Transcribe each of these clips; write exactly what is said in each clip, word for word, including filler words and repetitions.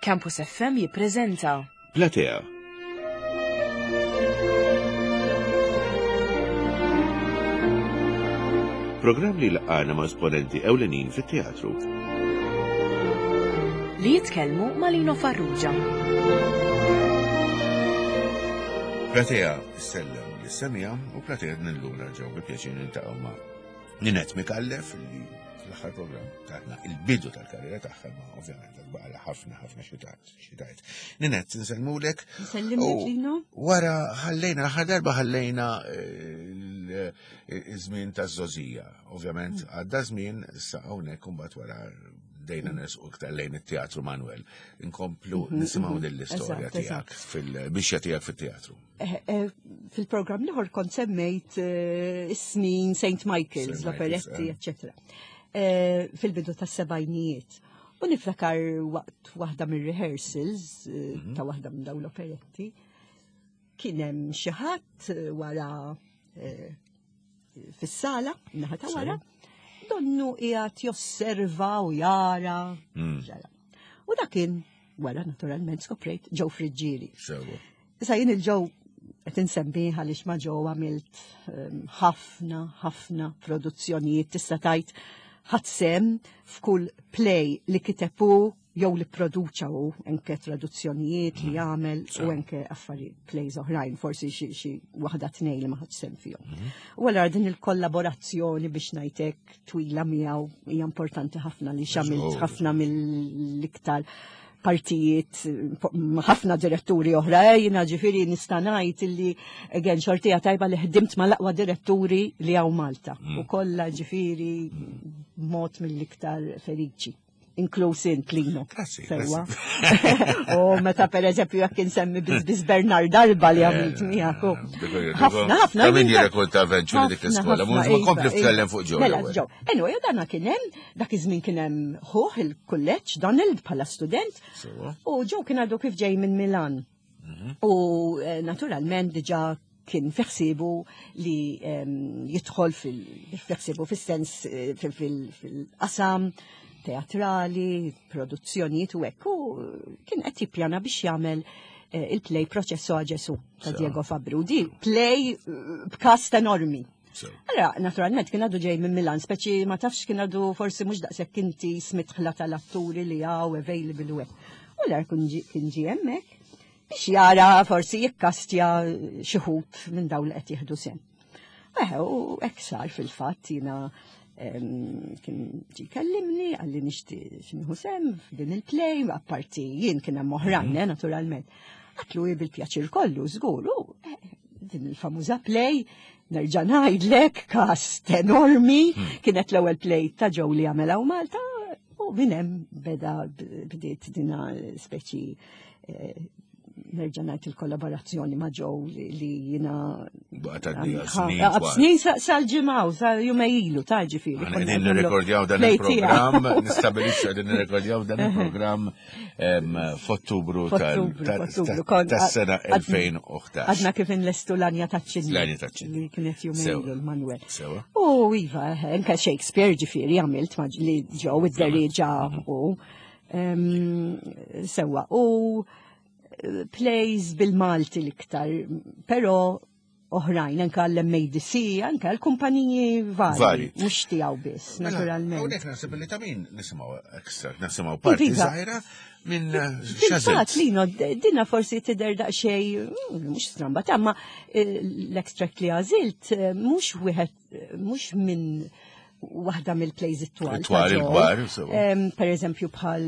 Campus F M jippreżenta Platea. Programm li laqana ma' esponenti ewlenin fit-teatru. Li jitkellmu ma' Lino Farrugia. Platea ssellem lis-semmiegħa u Platea illum nerġgħu bi pjaċir niltaqgħu ma' Ninette Micallef, li fl-aħħar programm tatna il-bidu tal-karriera tagħha, ma ovvjament baqala ħafna ħafna xi tgħid. Ninette, nsellmulek. Nsellimlek, Lino. Wara ħallejna, l-aħħar darba ħallejna eh, iż-żmien taż-żgħożija. Ovvjament għadda żmien issa hawnhekk, imbagħad wara bdejna nersqu iktar lejn it-Teatru Manuel. Inkomplu mhm, nisimgħu mhm. din l-istorja tiegħek fil-mixja tiegħek fit-teatru. Eh, eh, fil-programm l-ieħor kont semmejt eh, is-snin Saint Michael's, l-operetti, eccetera. Fil-bidu tas-sebgħinijiet. U niftakar waqt waħda mir-rehearsals mhm. ta' waħda minn dawn l-operetti, kien hemm xi ħadd wara fis-sala, naħa ta' wara, donnu qiegħed josserva u jara. Mm. U dak kien, wara naturalment skoprejt, Joe Friggieri. Issa jien lil Joe qed insemmi għaliex ma' Joe għamilt ehm, ħafna, ħafna produzzjonijiet, tista' tgħid ħadt sehem f'kull play li kiteb hu jew li produċa u anke traduzzjonijiet li mm. għamel u anke affarijiet, plays oħrajn, forsi xi waħda tnejn li ma ħadx sehem fihom. Mm. U allura din il-kollaborazzjoni, biex ngħidlek, twila miegħu hija importanti ħafna li għamilt ħafna mill-iktar partijiet, ħafna diretturi oħra, eh, jiena ġifieri nista' ngħid illi again xortija tajba li ħdimt ma l-aqwa diretturi li hawn Malta. Mm. U kollha ġifieri mod mill-iktar feliċi, inkluż int, Lino. Grazzi. Sewwa. U meta per eżempju jekk insemmi biz Bernard Darba li għamilt miegħek. Ħafna, ħafna. Ta' min jirrekonta eventually dik l-iskola. Mhux ma kompli tkellem fuq Joe. Mela, Joe. Anyway, dana kien hemm, dak iż-żmien kien hemm ħuh il-kulleġġ, Donald, bħala student. U Joe kien għadu kif ġej minn Milan. Mhm. U eh, naturalment diġà kien fi ħsiebu li jidħol fil-ħsiebu fis-sens eh, fil-qasam teatrali, produzzjonijiet u hekk. U kien qed jippjana biex jagħmel eh, il-play Processo a Gesù ta' Diego Fabbri. Di play eh, b'cast enormi. Allora, naturalment, kien għadu ġej minn Milan, speċi ma tafx, kien għadu forsi mhux daqshekk inti smitħla tal-atturi li hawn available u hekk. U l kien ġie hemmhekk biex jara forsi jikkastja xi wħud minn dawn li qed jieħdu sehem. Eħe, u hekk sar fil-fatt, jiena kien ġi kellimni, qalli nixtieq nieħu sehem f'din il-play, apparti jien kien hemm oħrajn, mhm. eh, naturalment. Għedtlu bil-pjaċir kollu, żgur, u eh, din il-famuża play, nerġa' ngħidlek, cast enormi, hmm. kienet l-ewwel play ta' Joe li għamel Malta, u minn hemm beda bdiet dina speċi eh, nerġa' ngħid il-kollaborazzjoni ma' Joe li jiena snin sal-ġimgħa sal jumejn ilu ta' ġifieri. Qegħdin nirrekordjaw dan il-programm, nistabilixxu qegħdin nirrekordjaw dan il-programm f'Ottubru tas-sena elfejn u ħdax. Għadna kif inlestu L-Għanja taċ-Ċinni. L-Għanja taċ-Ċinni. Li kienet jumejn ilu l-Manuel. U iva, anke Shakespeare ġifieri għamilt li Joe id-deriġa u sewwa. U plays bil-Malti l-iktar, pero oħrajn, anka l-M A D C, anka l-kumpaniji vari, mhux tiegħu biss, mela, naturalment. Hawnhekk naħseb li ta' min nisimgħu extract, nisimgħu parti żgħira minn Fil-fatt, Lino, dina forsi tidher daqsxejn, mm, mhux stramba, ta' ma eh, l-extract li għażilt, eh, mhux wieħed, mhux minn waħda mill-plays it-twal. Twal il-kbar. Per eżempju bħal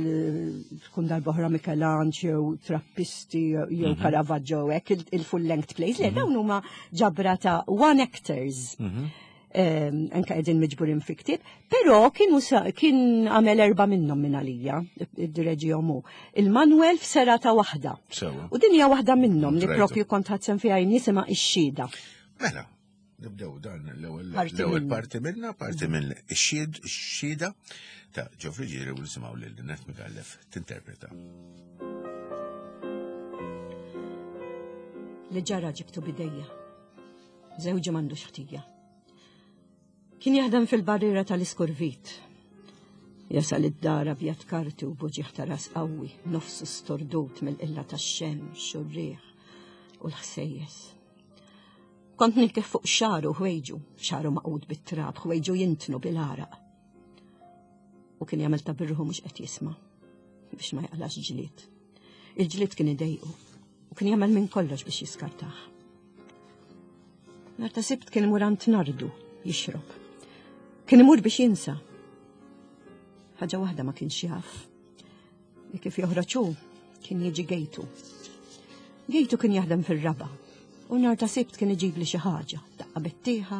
tkun Darb'oħra Michelangelo, jew Trappisti, jew mhm. Caravaggio, hekk il-full length plays. Le, mhm. dawn huma ġabra ta' one actors. Mhm. Anka qegħdin miġburin fi ktieb, però kienu kien għamel erba' minnhom minn għalija, id-direġihom hu. Il-Manuel f'serata waħda. U din hija waħda minnhom li propju kont ħadt sehem fiha, jisimha Ix-Xhieda. Mela, nibdew dan l-ewwel parti minna, parti minn ix-xhied, Ix-Xhieda ta' Joe Friggieri, u nisimgħu lil Ninette Micallef tinterpreta. Li ġara ġibtu b'idejja. Żewġi m'għandux ħtija. Kien jaħdem fil-barriera tal-Iskurvit. Jasal id-dar abjad karti u b'uġigħ ta' ras qawwi, nofsu stordut mill-qilla tax-xemx u r-riħ u l-ħsejjes. Kont nilkef fuq xagħru ħwejġu, xagħru magħqud bit-trab, ħwejġu jintnu bil-għaraq. U kien jagħmel ta' birruħu mhux qed jisma' biex ma jaqlax ġlied. Il-ġlied kien idejqu u kien jagħmel minn kollox biex jiskartah. Nhar ta' Sibt kien imur għand Nardu jixrob. Kien imur biex jinsa. Ħaġa waħda ma kienx jaf. Li kif joħroġ hu kien jiġi Gejtu. Gejtu kien jaħdem fir-raba. U nhar ta' Sibt kien iġib li xi ħaġa, daqqa bettieħa,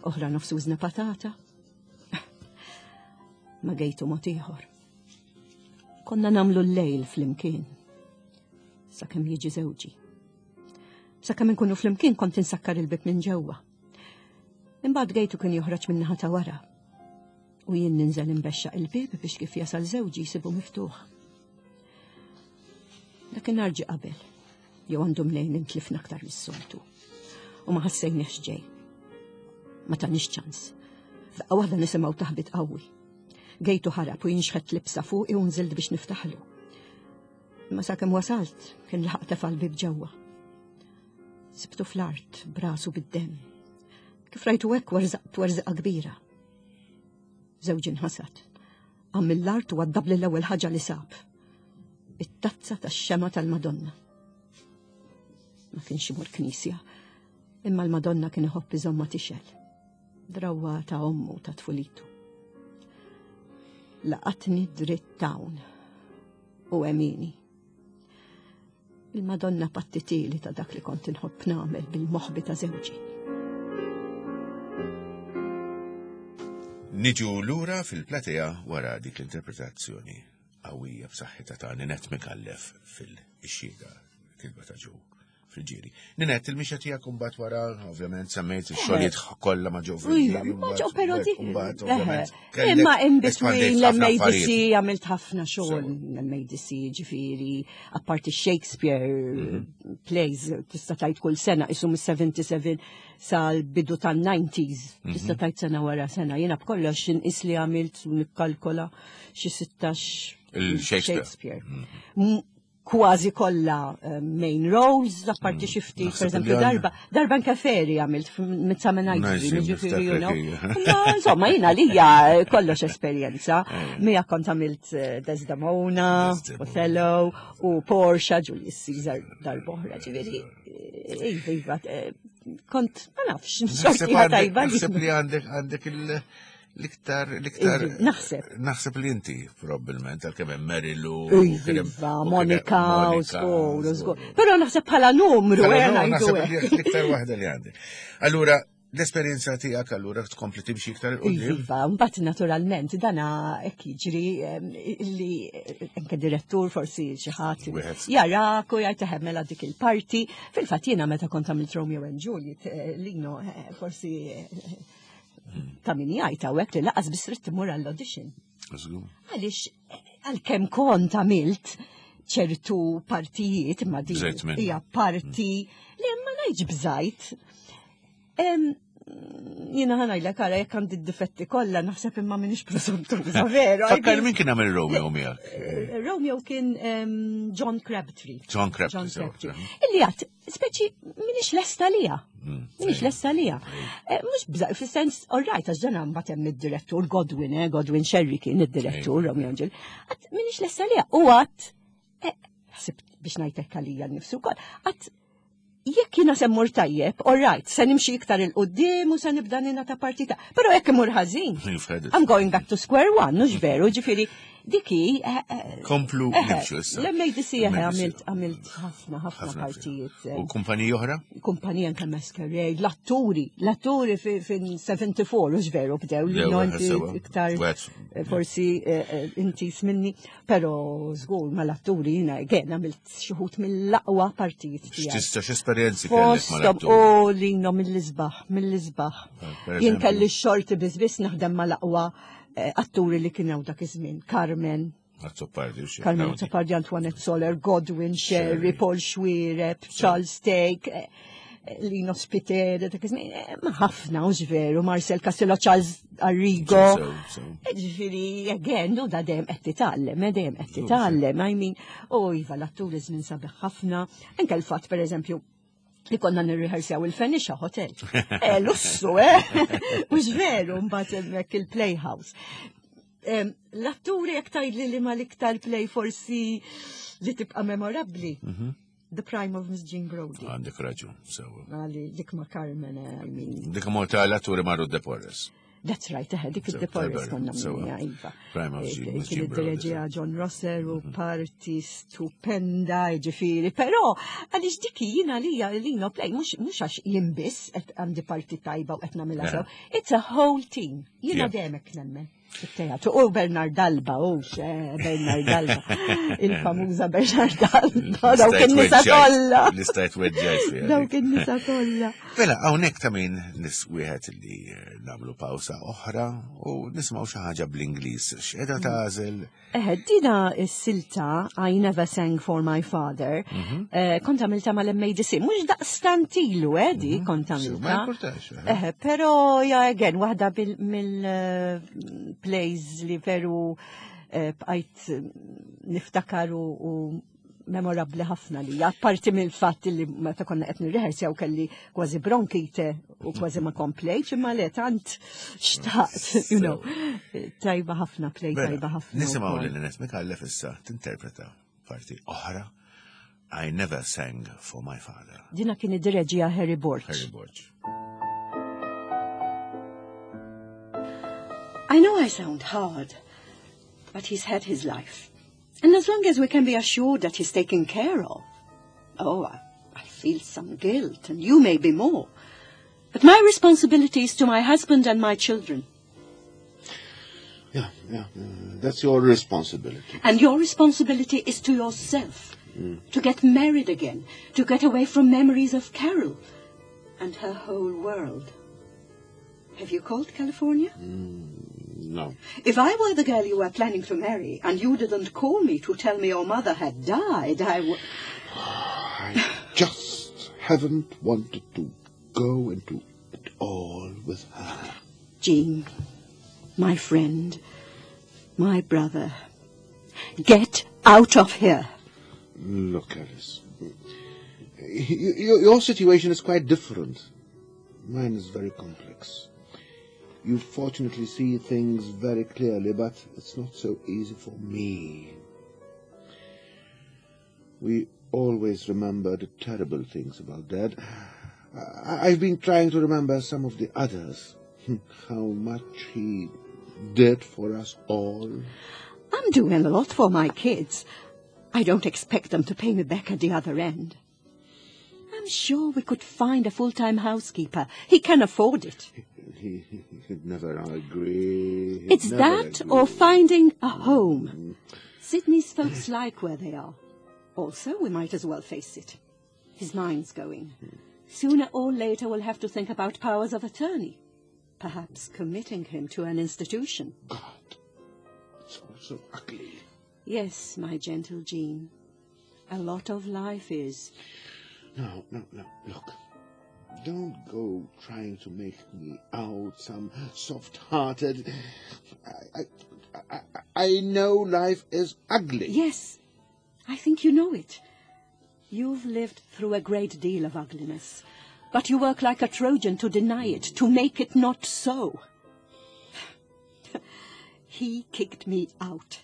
oħra nofs użna patata. Ma Gejtu mod ieħor. Konna nagħmlu l-lejl flimkien. Sakemm jiġi żewġi. Sakemm inkunu flimkien kont insakkar il-bib minn ġewwa. Imbagħad Gejtu kien joħroġ minn naħa ta' wara. U jien ninżel imbexxaq il-bib biex kif jasal żewġi jsibu miftuħ. Dakinhar ġie qabel, jew għandu mnejn intlifna aktar mis-soltu. U ma ħassejniex ġej. Ma tanix ċans. F'daqqa waħda nisimgħu taħbit qawwi. Gejtu ħarab u jien xħett libsa fuqi u nżilt biex niftaħlu. Imma sakemm wasalt kien laħaq tefa' l-bib ġewwa. Sibtu fl-art brasu bid-demm. Kif rajtu hekk werżaqt werżaqa kbira. Żewġi nħasad. Qam mill-art u għaddab l-ewwel ħaġa li sab. It-tazza tax-xema tal-Madonna. Ma kienx imur knisja, imma l-Madonna kien iħobb iżomma tixgħel. Drawwa ta' ommu ta' tfulitu. Laqatni dritt hawn u emini. Il-Madonna pattitili ta' dak li kont inħobb nagħmel bil-moħbi ta' żewġi. Niġu lura fil-platea wara dik l-interpretazzjoni qawwija b'saħħitha ta' Ninette Micallef fil-Xhieda, kitba ta' Joe Friggieri. Ninette, il-mixja tiegħek imbagħad wara, ovvjament semmejt ix-xogħlijiet kollha ma' Joe Friggieri. Ma' Joe, però dik. Mbagħad, ovvjament, kellek Imma in espandejt between ħafna l-M A D C affarijiet. għamilt ħafna xogħol, l-M A D C ġifieri, apparti Shakespeare Mhm. plays, tista' tgħid kull sena, isu mis-seventy-seven sal-bidu tan-nineties, Mhm. tista' tgħid sena wara sena. Jiena b'kollox inqis li għamilt u nikkalkola xi sittax Il-Shakespeare. Shakespeare. M- Kważi kollha, eh, main roles, apparti xi ftit, Naħseb per eżempju, li għandna. darba, darba anke Feri għamilt Midsummer Night's Nice, Dream, ġifieri, you know. niftakar hija. Ma, insomma, jiena lija kollox esperjenza. Mija kont għamilt, eh, Desdemona, Desdemona. Othello, u Portia, Julius Caesar darbohra, ġifieri, eh, iva, iva, eh, kont, ma nafx, Naħseb xorti għandek- tajba li. Naħseb li għandek għandek il- l-iktar, l-iktar. Iva, naħseb. Naħseb li inti, probabbilment, għalkemm hemm Mary Lou, u Iva, kien hemm- u kien hemm Monica, u Monica, żgur, u żgur. żgur. Però naħseb bħala numru, Bħala eh, numru, ngħidu naħseb hekk. li l-iktar waħda li għandek. Allura, l-esperjenza tiegħek allura tkompli timxi iktar 'il quddiem? Iva, mbagħad naturalment dana hekk jiġri, em, li anke direttur forsi xi ħadd Wieħed. jarak u jgħid eħe mela dik il-parti. Fil-fatt jiena meta kont għamilt Romeo and Juliet, eh, Lino, eh, forsi, eh, ta' min jgħid hawnhekk li laqas biss trid timur għall-audition. Żgur. Għaliex għalkemm kont għamilt ċertu partijiet, imma din Bżajt minnha. hija parti li ma ngħidx bżajt. Em, Jiena ħa ngħidlek ara jekk għandi d-difetti kollha naħseb imma m'iniex presuntuża, veru. Fakkar min kien għamel Romeo miegħek? Eh, Romeo kien, em, John Crabtree. John Crabtree, John sewa, Crabtree. mhm. Illi għat, speċi m'iniex lesta lija. Mm, M'iniex lesta lija. Eh, Mhux bżaj, fis-sens, all right, għax dan mbagħad hemm id-direttur Godwin, eh, Godwin Sherry kien id-direttur Ejja. Romeo and Juliet. Għat m'iniex lesta lija. U għat, eh, ħsibt biex ngħidlek għalija nnifsi wkoll, għat jekk jiena se mmur tajjeb, all right, se nimxi iktar 'il quddiem u se nibda nina ta' partita. Però jekk imur ħażin, You've had it. I'm going back to square one, mhux veru, ġifieri, diki. eh, eh, Komplu eh, nimxu issa. L-M A D C eh, L-M A D C. għamilt għamilt ħafna, ħafna Ħafna partijiet. eh, U kumpaniji oħra? Kumpanija anke Masquerade, l-atturi, l-atturi fin seventy-four, mhux veru, bdew li Bdew, no eh, inti sewa. iktar Wet. eh, forsi, eh, eh, inti sminni, pero żgur ma l-atturi jiena again għamilt xi wħud mill-aqwa partijiet tiegħi. X'tista' x'esperjenzi kellek ma Fosthom l-atturi? u lino mill-isbaħ, mill-isbaħ. Per Jien eżempju? kelli x-xorti biss biss naħdem mal-aqwa, eh, atturi li kienu dak iż-żmien. Carmen, Azzopardi u xi. Carmen Dawni. Azzopardi, Antoinette Soler, Godwin Sherry, Sherry. Paul Xuereb, Charles Thake. Eh, Lino Spiteri, dak iż-żmien, eh, ma ħafna, u veru, Marcel Castello, Charles Arrigo. So, so. Ġifieri, again, u da dejjem qed titgħallem, eh, dejjem qed titgħallem, I mean, u iva, l-atturi żmien sabiħ ħafna, anke l-fatt, per eżempju, li konna nirriħersjaw il-Phoenicia Hotel. Eh, lussu, eh? Mhux veru, mbagħad hemmhekk il-Playhouse. Em, L-atturi jekk tgħidli li ma l-iktar play forsi li tibqa' memorabbli. The Prime of Miss Jean Brodie. Għandek raġun, sewa. Għali, dik ma' Carmen, eh, I mean, Dik morta l-atturi marru De Porres. That's right, eh, dik So, id-De Porres tajba, konna sewa. minja, iva. Prime of Eh, Jean- Miss Kien Jean Brodie, id-direġija John Rosser u parti stupenda, ġifieri, però għaliex dik jiena li Lino play, mhux mhux għax jien biss qed għandi parti tajba u qed nagħmilha sew. It's a whole team. Jiena Yeah. dejjem hekk nemmen. Fit-teatru. U Bernard Alba, u xe, Bernard Alba. Il-famuża Bernard Alba, dawk in-nisa kollha. L-istajt weġġajt fiha. Dawk in-nisa kollha. Mela, hawnhekk ta' min nis wieħed li eh, nagħmlu pawsa oħra u nisimgħu xi ħaġa bl-Ingliż. X'qiegħda tagħżel? Eh, dina s-silta I Never Sang for My Father, eh, kont għamilta mal-M A D C, mhux daqstant ilu, eh, di kont So, Ma għamilta. importax. eh. Eh, pero, ja, again, waħda mill-plays li veru eh, bqajt eh, niftakar u u memorabli ħafna li, apparti mill-fatt li meta konna qed nirrehersjaw kelli kważi bronkite u kważi ma komplejtx, imma le tant xtaqt, you know, tajba ħafna, play Mela, tajba ħafna. Nisimgħu wkoll. lil Lynette Micallef issa tinterpreta parti oħra I Never Sang for My Father. Dina kien id-direġija Harry Borch. Harry Borch. I know I sound hard, but he's had his life. And as long as we can be assured that he's taken care of, oh, I, I feel some guilt, and you may be more. But my responsibility is to my husband and my children. Yeah, yeah, uh, that's your responsibility. And your responsibility is to yourself. To get married again, to get away from memories of Carol and her whole world. Have you called California? No. If I were the girl you were planning to marry and you didn't call me to tell me your mother had died, I would. I just haven't wanted to go into it all with her. Jean, my friend, my brother, get out of here. Look, Alice. y- y- Your situation is quite different. Mine is very complex. You fortunately see things very clearly, but it's not so easy for me. We always remember the terrible things about Dad. I- I've been trying to remember some of the others. How much he did for us all. I'm doing a lot for my kids. I don't expect them to pay me back at the other end. I'm sure we could find a full-time housekeeper. He can afford it. He, he'd never agree. He'd It's never that agree. or finding a home. Sydney's folks like where they are. Also, we might as well face it. His mind's going. Sooner or later, we'll have to think about powers of attorney. Perhaps committing him to an institution. God, it's all so ugly. Yes, my gentle Jean. A lot of life is. No, no, no. Look, don't go trying to make me out some soft-hearted. I, I, I, I know life is ugly. Yes, I think you know it. You've lived through a great deal of ugliness, but you work like a Trojan to deny it, to make it not so. He kicked me out.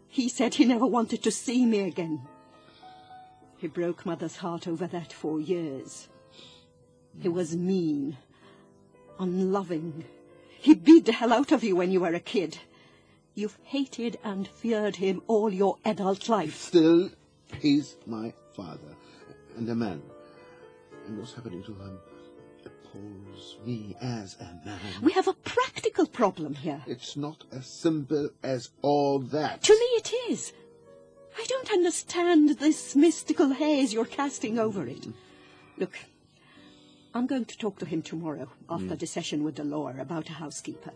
He said he never wanted to see me again. He broke Mother's heart over that for years. He was mean, unloving. He beat the hell out of you when you were a kid. You've hated and feared him all your adult life. Still, he's my father and a man. And what's happening to him appalls me as a man. We have a practical problem here. It's not as simple as all that. To me, it is. I don't understand this mystical haze you're casting over it. Look, I'm going to talk to him tomorrow after the session with the lawyer about a housekeeper.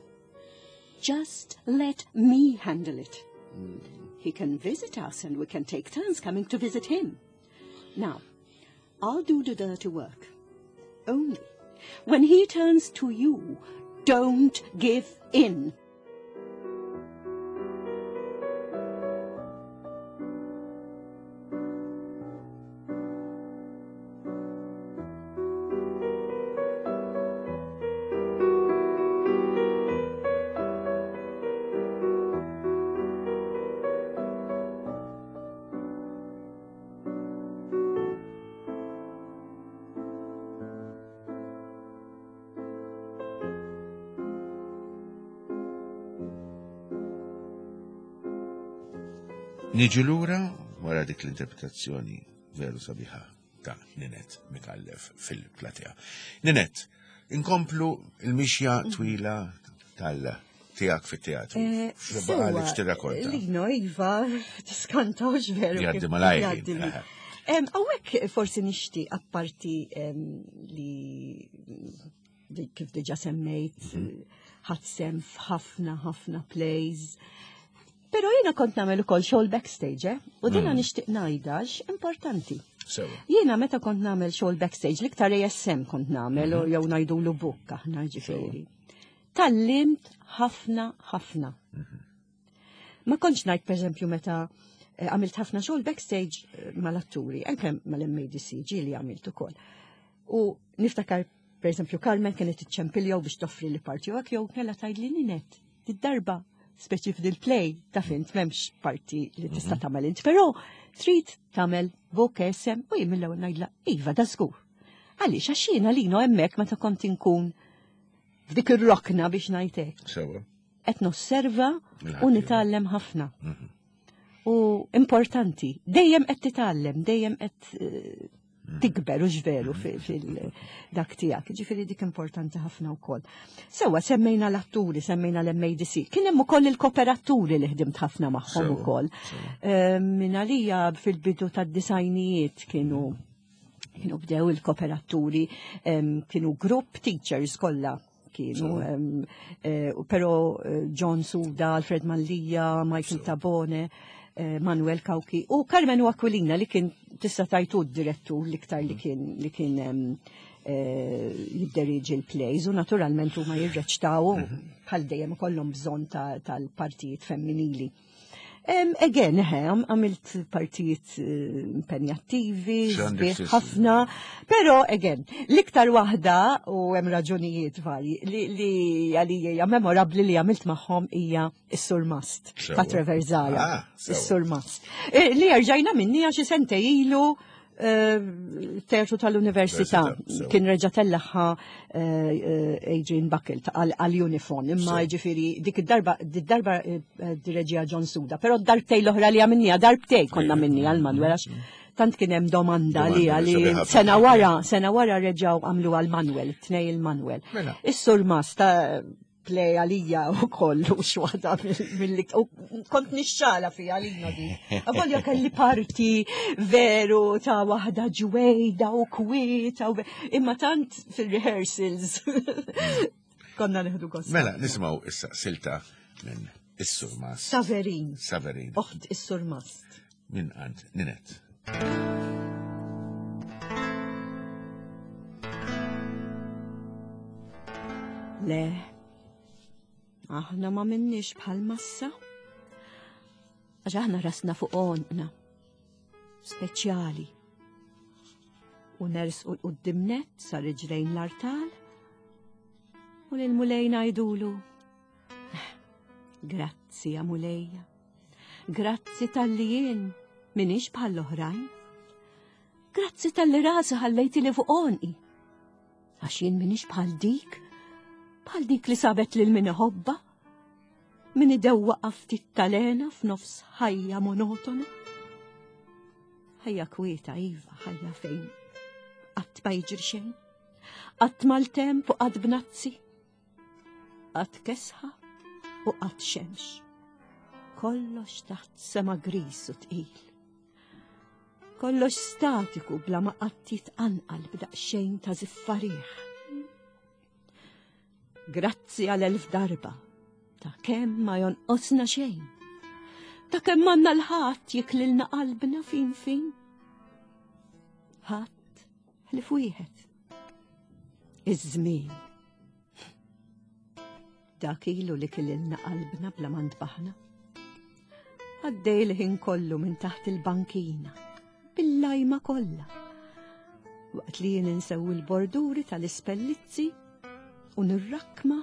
Just let me handle it. He can visit us and we can take turns coming to visit him. Now, I'll do the dirty work. Only, when he turns to you, don't give in. Niġu lura wara dik l-interpretazzjoni veru sabiħa ta' Ninette Micallef fil-platea. Ninette, inkomplu il-mixja twila tal-tijak fit-teatru. Eh, X'baqgħalek x'tirrakkonta? Lino, Iva, tiskantax veru. Jgħaddi kif malajr, jgħaddi li. eh. Em, Hawnhekk forsi nixtieq apparti em, li li kif diġa semmejt, ħadt sehem f'ħafna ħafna plays. Pero jiena kont nagħmel ukoll xogħol backstage, eh? U dina nixtieq ngħidha għax importanti. Sewa. Jiena meta kont nagħmel xogħol backstage, l-iktar A S M kont nagħmel u jew ngħidulu book aħna ġifieri. Tgħallimt ħafna ħafna. Ma kontx ngħid, pereżempju, meta eh, għamilt ħafna xogħol backstage eh, mal-atturi, anke mal-M A D C ġieli għamilt ukoll. U niftakar, pereżempju, Carmen kienet iċċempilli biex toffri li parti u hekk jew kellha tgħidli, "Ninette, did-darba speċi f'dil-play ta' fint m'hemmx parti li tista' tagħmel int, però trid tagħmel book A S M" u jien mill-ewwel ngħidla, "Iva, da żgur." Għaliex għax jiena Lino hemmhekk meta kont inkun f'dik ir-rokna biex ngħid hekk Sewa. qed nosserva u Il-ħaddieħor. nitgħallem ħafna. U importanti, dejjem qed titgħallem, dejjem qed eh, tikber u ġveru fil-dak tiegħek. Ġifieri dik importanti ħafna wkoll. Sewa semmejna l-atturi, semmejna l-M A D C. Kien hemm ukoll il-kooperaturi li ħdimt ħafna magħhom Sewa, ukoll. Sewa. Eh, Min għalija fil-bidu tad-disgħinijiet kienu kienu bdew il-kooperaturi, em, kienu group teachers kollha kienu, em, eh, pero eh, John Suda, Alfred Mallia, Michael Tabone, eh, Manuel Cauchi u Carmen Aquilina li kien tista' tajtu d-direttur l-iktar li kien li kien em, eh, jidderiġi l-plays u naturalment huma jirreċtaw bħal dejjem ikollhom bżonn ta- tal-partijiet femminili. Um, again, eħe, għam- għamilt partijiet eh, impenjattivi, X'għandek sbieħ sis- ħafna, pero again, l-iktar waħda, u hemm raġunijiet varji, li, li għalija hija memorabli li għamilt magħhom hija is-Surmast, Sewa. ta' Trevor Zahra, Ah, sewa. is-Surmast. Eh, Li rġajna minni għaxi sentej ilu eh, teatru tal-Università Università, sewa. kien reġa' tellagħha eh, eh, Adrian Buckle ta' għal għal Uniphon, imma Sewa. ġifieri dik id-darba id-darba eh, direġija John Suda, però darbtej l-oħra li għamilniha, darbtej konna minni għal Manuel għax tant kien hemm domanda li Domanda għali sabiħ ħafna. sena wara, sena wara reġgħu għamlu għal Manuel, tnej il-Manuel. Mela. Is-Surmast ta' play għalija u kollu xwaħda mill u kont nixxala fija għalina di. Avolja kelli parti veru ta' waħda ġwejda u kwieta u imma tant fil-rehearsals konna neħdu gost. Mela, nisimgħu issa silta minn Is-Surmast. Saverin, Saverin. oħt is-Surmast. Minn għand Ninette. Le, aħna ma minnix bħal massa. Għax aħna rasna fuq għonqna. Speċjali. U nersqu 'l quddiem nett sa riġlejn l-artal. U l-Mulej ngħidulu: "Grazzi, ja Mulejja. Grazzi talli jien minix bħall-oħrajn. Grazzi talli rasi ħallejti li fuq għonqi. Għax jien minix bħal dik, bħal dik li sabet lil min iħobbha, min idewwaqa ftit talena f'nofs ħajja monotona. Ħajja kwieta, iva, ħajja fejn qatt ma jiġri xejn, qatt maltemp u qatt bnazzi, qatt kesħa u qatt xemx. Kollox taħt sema gris u tqil. Kollox statiku bla ma qatt jitqanqal b'daqsxejn ta' żiffa riħ. Grazzi għal elf darba ta' kemm ma jonqosna xejn. Ta' kemm m'għandna l-ħadd jiklilna qalbna fin fin. Ħadd ħlief wieħed. Iż-żmien. Dak ilu li kililna qalbna bla ma ntbaħna. Għaddej l-ħin kollu minn taħt il-bankina, bil-lajma kollha. Waqt li jien insewwi l-borduri tal-ispellizzi u nirrakma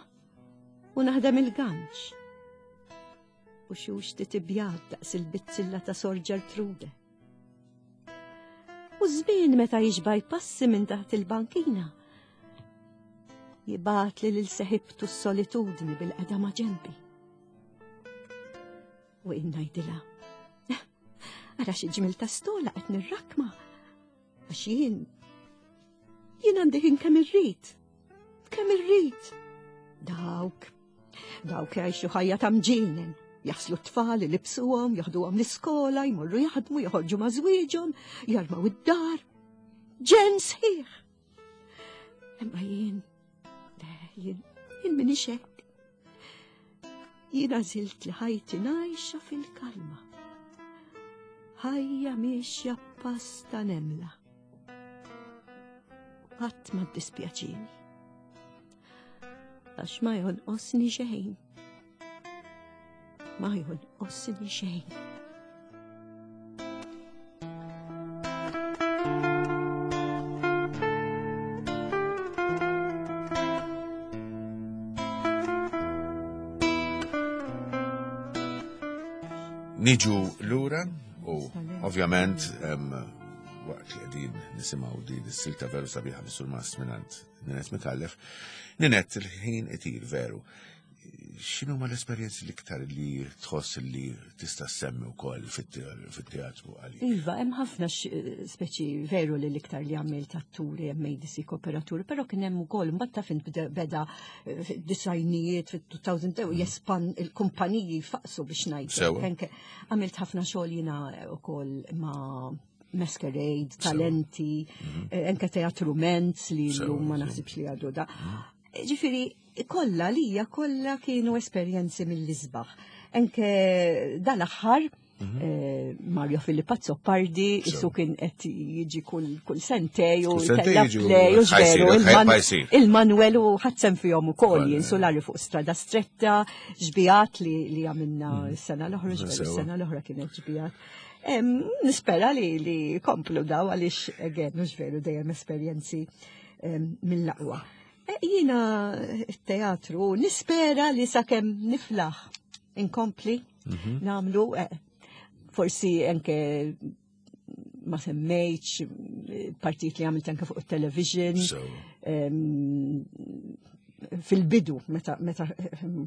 u naħdem il-ganċ. U xux titibjad daqs il-bizzilla ta' Sor Ġertrude. U żmien meta jiġba jpassi minn taħt il-bankina, jibgħat li lil seħibtu s-solitudni bil-qeda ma' ġenbi. U jien ngħidilha, ara xi ġmil ta' stola qed nirrakma, għax jien jien għandi ħin kemm irrid, kemm irrid. Dawk, dawk jgħixu ħajja ta' mġienen, jaħslu t-tfal, ilibsuhom, jaħduhom l-iskola, jmorru jaħdmu, joħorġu ma' żwieġhom, jarmaw id-dar. Ġen sħiħ. Imma jien, jien, jien minix hekk. Jien għażilt li ħajti ngħixha fil-kalma. Ħajja miexja pass ta' nemla. Qatt ma ddispjaċini. Għax ma jonqosni xejn. Ma jonqosni xejn. Niġu lura u ovvjament em, waqt li qegħdin nisimgħu din is-silta veru sabiħa mis-surmast mingħand Ninette Micallef. Ninette, il-ħin itir veru. X'inhu ma l-esperjenzi l-iktar li tħoss li tista' ssemmi wkoll fit-teatru għalik? Iva, hemm ħafna speċi veru li l-iktar li għamilt atturi, hemm medici, kooperaturi, però kien hemm ukoll mbagħad taf int beda fid-disajnijiet fit-two thousand jespan il-kumpaniji faqsu biex ngħid. Sewa. Anke għamilt ħafna xogħol jiena wkoll ma' Masquerade, Talenti, eh, anke Teatru Mentz li Sewa, llum ma sewa. naħsibx li għadu da. Ġifieri, kollha lija kollha kienu esperjenzi mill-isbaħ. Anke dal-aħħar, eh, Mario Filippo Azzopardi, Sewa. isu kien qed jiġi kull kull sentej u Kull sentej tella jiġu, play u ħajsir, ġveru ħaj- il-Man- ħajsir. il-Manuel u ħadsem fihom ukoll Koll, jien sulari fuq strada stretta, ġbijat li li għamilna s-sena l-oħra, ġveru Sewa. s-sena l-oħra kienet ġbijat. Em, Nispera li li komplu daw għaliex again, mhux veru dejjem esperjenzi em, mill-aqwa. E, Jiena teatru nispera li sakemm niflaħ inkompli namlu, eh, forsi anke ma semmejtx eh, partit li għamilt anke fuq il-television. So, Em, fil-bidu, meta, meta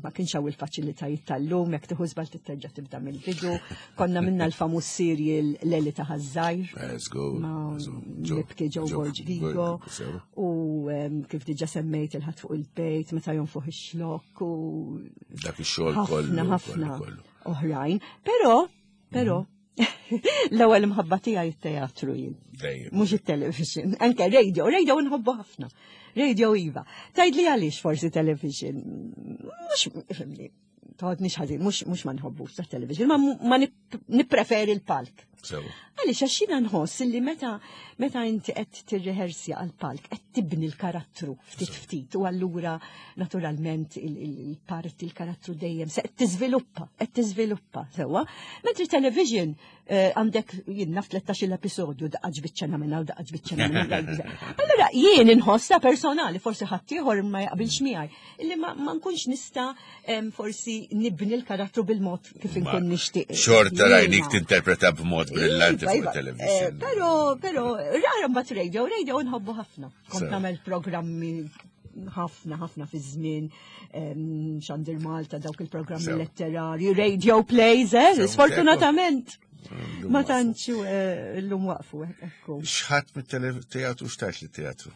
ma kienx hawn il-faċilitajiet tal-lum, jekk tieħu żball titterġa' tibda mill-bidu. Konna minna l-famuż serial Leli ta' Ħaż-Żgħir. Let's go. Ma' So, Lipki Joe Borg Vigo. Sewa. U em, kif diġa semmejt il-ħadd fuq il-bejt, meta jonfoħ ix-xlokk u Dak ix-xogħol kollu. ħafna ħafna kollu, kollu. oħrajn. Però, però, l-ewwel imħabba tiegħi it-teatru jien. Dejjem. Mhux it-television, anke radio, radio nħobbu ħafna. Radio iva. Tgħidli għaliex forsi television. Mhux ifhimni, toħodnix ħażin, mhux mhux ma nħobbux ta' television, ma, ma nip- nippreferi l-palk. Sewa. Għaliex għax jiena nħoss li meta meta inti qed tirrehersja għal palk qed tibni l-karattru ftit ftit u allura naturalment il-parti il-karattru dejjem se qed tiżviluppa, qed tiżviluppa sewwa. Mentri television eh, għandek jien naf tlettax-il episodju daqqa ġbiċċa minna u daqqa ġbiċċa minna. Allura jien inħossha personali, forsi ħaddieħor ma jaqbilx miegħi, illi ma, ma nkunx nista' em, forsi nibni l-karattru bil-mod kif inkun nixtieq. Xorta rajnik Jiena. tinterpreta b'mod brillanti Iva, fuq iva. il-television. Eh, Pero, pero, rara mbagħad radio, radio nħobbu ħafna. Kont Sew. nagħmel programmi ħafna, ħafna fi żmien, em, Xandir Malta, dawk il-programmi Sew. letterari, radio plays, eh, Sew, sfortunatament. Llum Ma waqfu. tantx eh, llum waqfu, ekku. X'ħadd mit-teatru xtajt li teatru?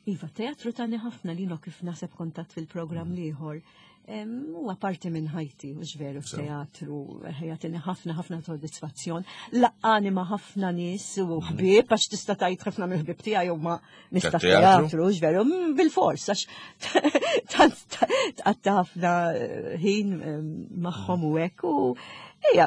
Iva, teatru tani ħafna li no kif naseb kontat fil-programm l-ieħor. Huwa parti minn ħajti, u veru Sew. teatru, jagħtini ħafna ħafna soddisfazzjon. Laqqani ma' ħafna nies u ħbieb, għax tista' tgħid ħafna mill-ħbieb tiegħi huma nies ta' Tat-teatru? teatru, veru, mm, bil-fors, għax tant tqatta ħafna eh, ħin em, magħhom u hekk u hija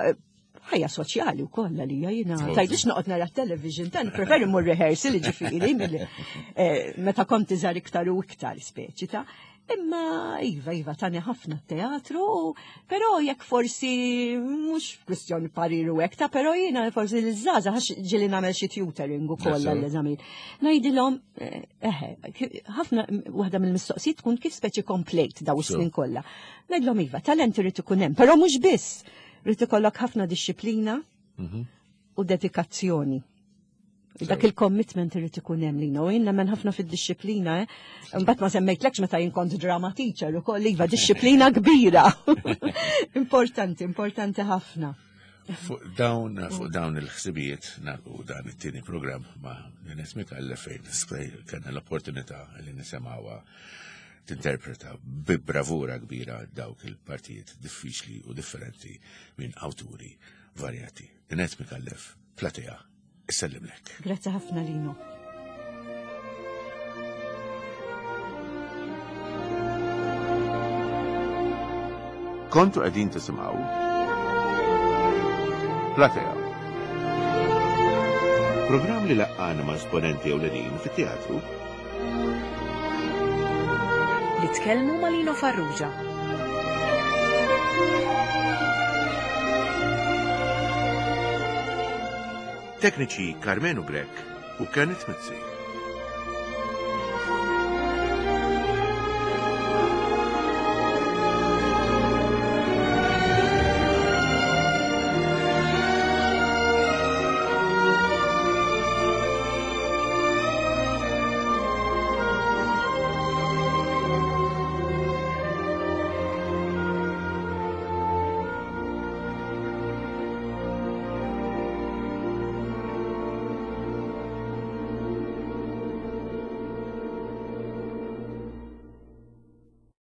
Ħajja soċjali wkoll għalija jiena tgħidlix noqgħod nara television, ta' preferi mur rehearsal ġifieri eh, meta kont iżgħar iktar u iktar speċi ta' Imma iva, iva, tani ħafna teatru, però jekk forsi mhux kwistjoni parir u hekk ta' però jiena forsi l-żgħażagħ għax ġieli nagħmel xi tutoring ukoll għall-eżamijiet. Ngħidilhom eh, eħe, ħafna waħda mill-mistoqsijiet tkun kif speċi komplejt daw is-snin kollha. Ngħidilhom iva, talent irid ikun hemm, però mhux biss. Irid ikollok ħafna dixxiplina mhm. u dedikazzjoni. Dak il-commitment irid ikun hemm lina u jien nemmen ħafna fid-dixxiplina, eh. Imbagħad ma semmejtlekx meta jien kont drama teacher ukoll iva dixxiplina kbira. Importanti, importanti ħafna. Fuq dawn fuq dawn il-ħsibijiet nagħlqu dan it-tieni programm ma' Ninette Micallef fejn kellna l-opportunità li nisimgħuha tinterpreta bi bravura kbira dawk il-partijiet diffiċli u differenti minn awturi varjati. Ninette Micallef, Platea, issellimlek. Grazzi ħafna Lino. Kontu qegħdin tisimgħu Platea. Programm li laqqana ma' esponenti ewlenin fit-teatru. Li tkellmu ma' Lino Farrugia. Tekniċi Carmenu Grech u Kenneth Mizzi.